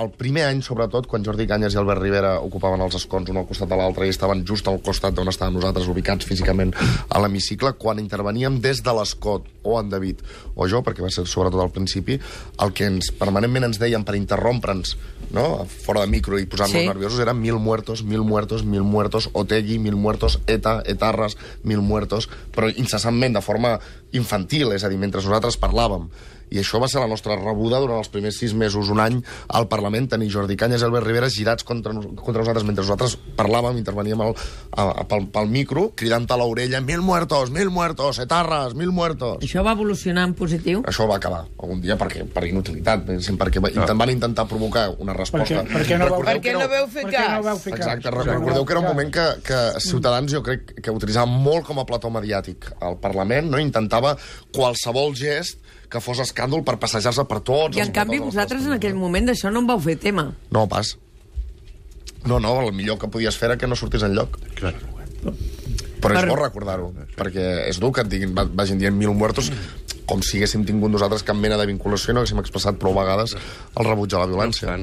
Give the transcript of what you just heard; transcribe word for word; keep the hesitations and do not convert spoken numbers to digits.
El primer any, sobretot, quan Jordi Cañas i Albert Rivera ocupaven els escons un al costat de l'altre i estaven just al costat d'on estàvem nosaltres, ubicats físicament a l'hemicicle, quan interveníem des de l'escot, o en David o jo, perquè va ser sobretot al principi, el que ens permanentment ens deien per interrompre'ns, no?, fora de micro i posar-nos sí. nerviosos, era mil muertos, mil muertos, mil muertos, Otegi, mil muertos, ETA, etarres, mil muertos, però incessantment, de forma infantil, és a dir, mentre nosaltres parlàvem. I això va ser la nostra rebuda durant els primers sis mesos, un any, al Parlament, tenir Jordi Cañas i Albert Rivera girats contra, contra nosaltres mentre nosaltres parlàvem, interveníem al, a, a, pel, pel micro, cridant a l'orella mil muertos, mil muertos, etarres, mil muertos. Això va evolucionar en positiu? Això va acabar algun dia perquè, per inutilitat, perquè no. van intentar provocar una resposta. Per què no, vau, per què no veu fer cas? No fer Exacte, cas? Recordeu que era un moment que, que Ciutadans, jo crec que utilitzava molt com a plató mediàtic al Parlament, no? Intentava qualsevol gest que fos escàndol per passejar-se per tots. I en canvi vosaltres en aquell moment d'això no en vau fer tema. No, pas. No, no, el millor que podies fer era que no sortís enlloc. Clar. Però és bo recordar-ho, perquè és dur que et diguin, vagin dient mil muertos, com si haguéssim tingut nosaltres cap mena de vinculació i no haguéssim expressat prou vegades el rebuig a la violència.